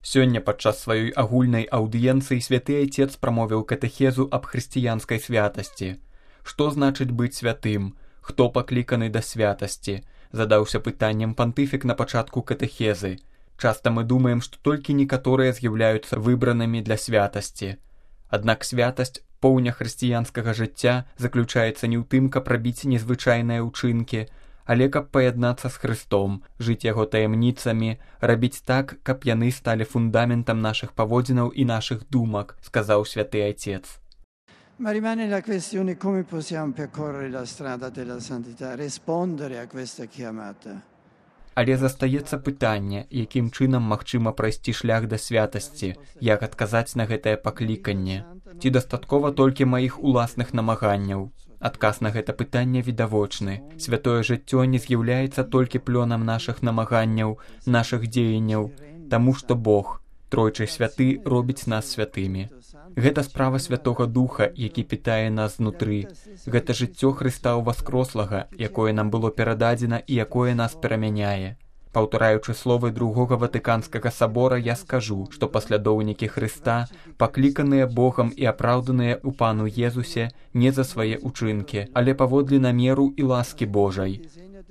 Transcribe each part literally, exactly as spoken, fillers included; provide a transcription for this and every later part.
Сёння падчас сваёй агульнай аўдыенцыі святы айцец прамовіў катэхезу аб хрысціянскай святасці. Што значыць быць святым? Хто пакліканы да святасці? Задаўся пытаннем пантыфік на пачатку катэхезы. Часта мы думаем, што толькі некаторыя з'яўляюцца выбранымі для святасці. Аднак святасць, поўня хрысціянскага жыцця, заключаецца не ў тым, каб рабіць незвычайныя ўчынкі, але каб паяднацца з Хрыстом, жыць яго таямніцамі, рабіць так, каб яны сталі фундаментам нашых паводзінаў і нашых думак, сказаў святы айцец. Ma rimane la questione come possiamo percorrere la strada della santità, rispondere a questa chiamata. Але застаецца пытанне, якім чынам магчыма прайсці шлях да святасці, як адказаць на гэтае пакліканне. Ці дастаткова толькі маіх уласных намаганняў? Адказ на гэта пытанне відавочны. Святое жыццё не з'яўляецца толькі плёнам нашых намаганняў, нашых дзеянняў, таму што Бог, тройчы святы, робіць нас святымі. Гэта справа Святога Духа, які пітае нас знутры. Гэта жыццё Хрыста ўваскрослага, якое нам было перададзена і якое нас перамяняе. Паўтараючы словы другога Ватыканскага сабора, я скажу, што паслядоўнікі Хрыста, пакліканыя Богам і апраўданыя ў Пану Езусе не за свае ўчынкі, але паводле намеру і ласкі Божай.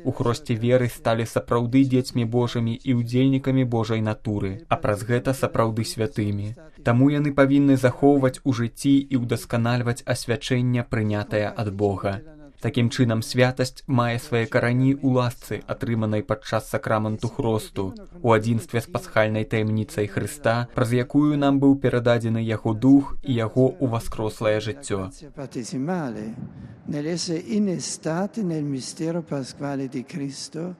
У хросце веры сталі сапраўды дзецьмі Божымі і ўдзельнікамі Божай натуры, а праз гэта сапраўды святымі. Таму яны павінны захоўваць у жыцці і ўдасканальваць асвячэнне, прынятае ад Бога. Такім чынам, святасць мае свае карані ў ласцы, атрыманай падчас сакраменту хросту, у адзінстве з пасхальнай таямніцай Хрыста, праз якую нам быў перададзены яго дух і яго ўваскрослае жыццё. Nell'essere innestati nel mistero pasquale di Cristo,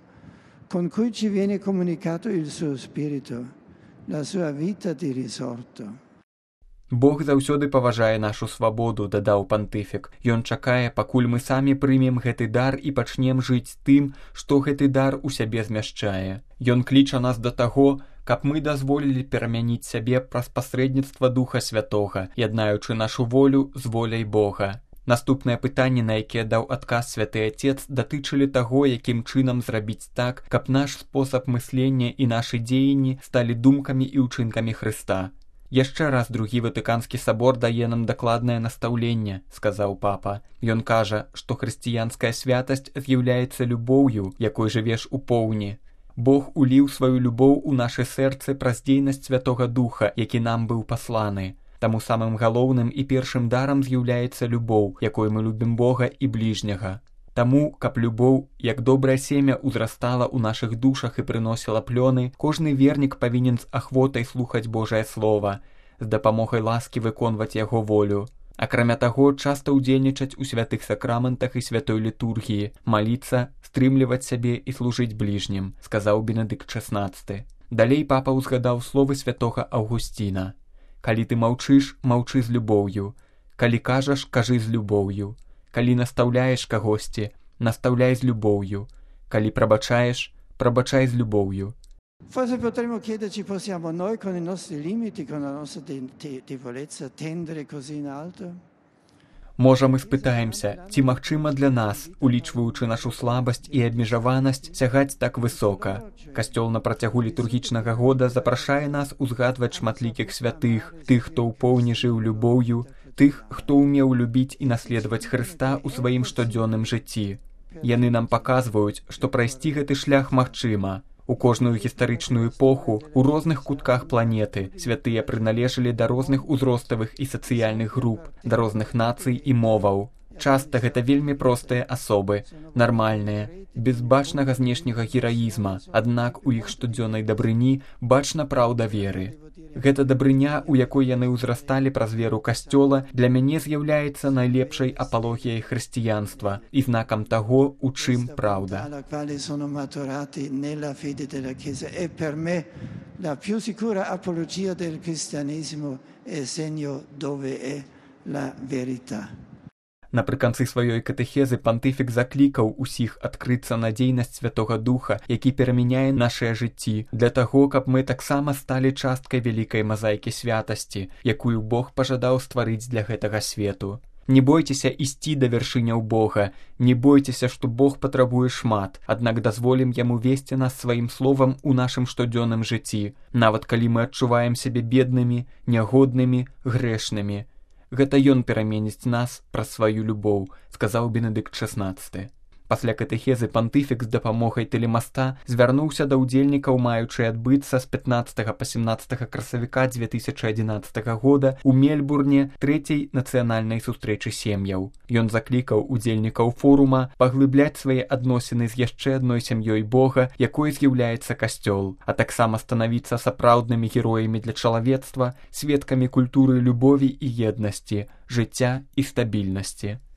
con cui ci viene comunicato il suo spirito, la sua vita di risorto. Бог заўсёды паважае нашу свабоду, дадаў пантыфік. Ён чакае, пакуль мы самі прымем гэты дар і пачнем жыць тым, што гэты дар у сябе змяшчае. Ён кліча нас да таго, каб мы дазволілі перамяніць сябе праз пасрэдніцтва Духа Святога, яднаючы нашу волю з воляй Бога. Наступнае пытанне, на якія даў адказ святы айцец, датычылі таго, якім чынам зрабіць так, каб наш спосаб мыслення і нашы дзеянні сталі думкамі і ўчынкамі Хрыста. Яшчэ раз другі Ватыканскі сабор дае нам дакладнае настаўленне, сказаў папа. Ён кажа, што хрысціянская святасць з'яўляецца любоўю, якой жывеш у поўні. Бог уліў сваю любоў у нашы сэрцы праз дзейнасць Святога Духа, які нам быў пасланы. Таму самым галоўным і першым дарам з'яўляецца любоў, якой мы любім Бога і бліжняга. Таму, каб любоў, як добрае семя, узрастала ў нашых душах і прыносіла плёны, кожны вернік павінен з ахвотай слухаць Божае Слова, з дапамогай ласкі выконваць яго волю. Акрамя таго, часта ўдзельнічаць у святых сакраментах і святой літургіі, маліцца, стрымліваць сябе і служыць бліжнім, сказаў Бенедыкт шаснаццаты. Далей папа ўзгадаў словы святога Аўгусціна. Калі ты маўчыш, маўчы з любоўю. Калі кажаш, кажы з любоўю. Калі настаўляеш кагосьці, настаўляй з любоўю. Калі прабачаеш, прабачай з любоўю. Forse potremmo chiederci, possiamo noi con i nostri limiti, con la nostra debolezza, tendere così in alto? Можа, мы спытаемся, ці магчыма для нас, улічваючы нашу слабасць і абмежаванасць, сягаць так высока. Касцёл на працягу літургічнага года запрашае нас узгадваць шматлікіх святых, тых, хто ў поўні жыў любоўю, тых, хто ўмеў любіць і наследаваць Хрыста ў сваім штодзённым жыцці. Яны нам паказваюць, што прайсці гэты шлях магчыма. У кожную гістарычную эпоху, у розных кутках планеты святыя прыналежалі да розных узроставых і сацыяльных груп, да розных нацый і моваў. Часта гэта вельмі простыя асобы, нармальныя, без бачнага знешняга гераізма, аднак у іх штодзённай дабрыні бачна праўда веры. Гэта дабрыня, у якой яны ўзрасталі праз веру Касцёла, для мяне з'яўляецца найлепшай апалогіяй хрысціянства і знакам таго, у чым праўда. Напрыканцы сваёй катэхезы пантыфік заклікаў усіх адкрыцца на дзейнасць Святога Духа, які перамяняе нашае жыцці, для таго, каб мы таксама сталі часткай вялікай мазаікі святасці, якую Бог пажадаў стварыць для гэтага свету. Не бойцеся ісці да вяршыняў Бога, не бойцеся, што Бог патрабуе шмат, аднак дазволім яму весці нас сваім словам у нашым штодзённым жыцці, нават калі мы адчуваем сябе беднымі, нягоднымі, грэшнымі. Гэта ён пераменіць нас праз сваю любоў, сказаў Бенедыкт шаснаццаты. Пасля катэхезы пантыфік з дапамогай тэлемаста звярнуўся да ўдзельнікаў, маючы адбыцца з пятнаццатага па семнаццатага красавіка дзве тысячы адзінаццатага года ў Мельбурне трэцяй нацыянальнай сустрэчы сем'яў. Ён заклікаў удзельнікаў форума паглыбляць свае адносіны з яшчэ адной сям'ёй Бога, якой з'яўляецца касцёл, а таксама станавіцца сапраўднымі героямі для чалавецтва, сведкамі культуры любові і еднасці, жыцця і стабільнасці.